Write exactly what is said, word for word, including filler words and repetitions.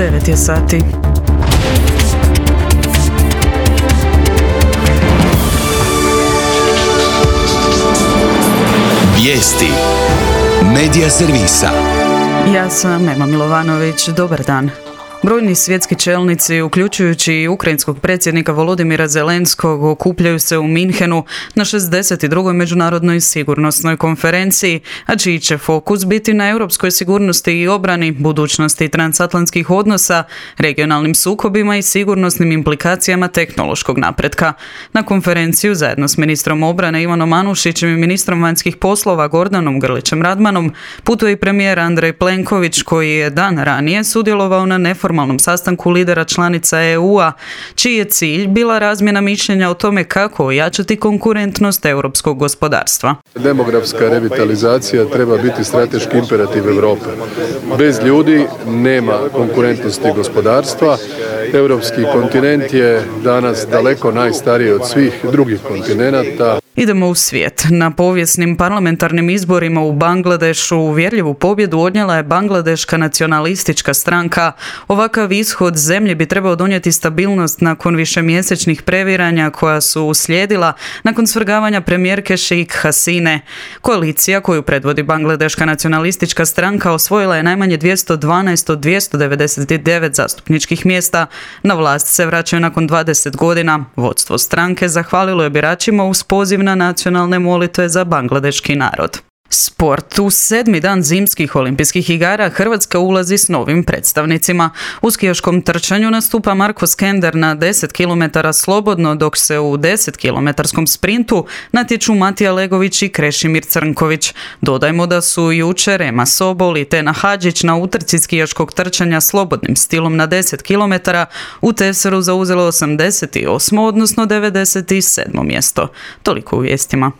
devet je sati. Vijesti Medija servisa. Ja sam Ema Milovanović, dobar dan. Brojni svjetski čelnici, uključujući i ukrajinskog predsjednika Volodimira Zelenskog, okupljaju se u Minhenu na šezdeset drugoj međunarodnoj sigurnosnoj konferenciji, a čiji će fokus biti na europskoj sigurnosti i obrani, budućnosti transatlantskih odnosa, regionalnim sukobima i sigurnosnim implikacijama tehnološkog napretka. Na konferenciju zajedno s ministrom obrane Ivanom Anušićem i ministrom vanjskih poslova Gordanom Grlićem Radmanom putuje i premijer Andrej Plenković, koji je dan ranije sudjelovao na neformalnom formalnom sastanku lidera članica E U-a, čiji je cilj bila razmjena mišljenja o tome kako ojačati konkurentnost europskog gospodarstva. Demografska revitalizacija treba biti strateški imperativ Europe. Bez ljudi nema konkurentnosti gospodarstva. Europski kontinent je danas daleko najstariji od svih drugih kontinenata. Idemo u svijet. Na povijesnim parlamentarnim izborima u Bangladešu uvjerljivu pobjedu odnijela je Bangladeška nacionalistička stranka. Ovakav ishod zemlje bi trebao donijeti stabilnost nakon višemjesečnih previranja koja su uslijedila nakon svrgavanja premijerke Sheikh Hasine. Koalicija koju predvodi Bangladeška nacionalistička stranka osvojila je najmanje dvjesto dvanaest od dvjesto devedeset devet zastupničkih mjesta. Na vlast se vraćaju nakon dvadeset godina. Vodstvo stranke zahvalilo je biračima uz poziv na nacionalne molitve za bangladeški narod. Sport. U sedmi dan zimskih olimpijskih igara Hrvatska ulazi s novim predstavnicima. U skijaškom trčanju nastupa Marko Skender na deset kilometara slobodno, dok se u deset kilometarskom sprintu natječu Matija Legović i Krešimir Crnković. Dodajmo da su jučer Ema Sobol i Tena Hadžić na utrci skijaškog trčanja slobodnim stilom na deset kilometara u Tevseru zauzelo osamdeset osmo odnosno devedeset sedmo mjesto. Toliko u vijestima.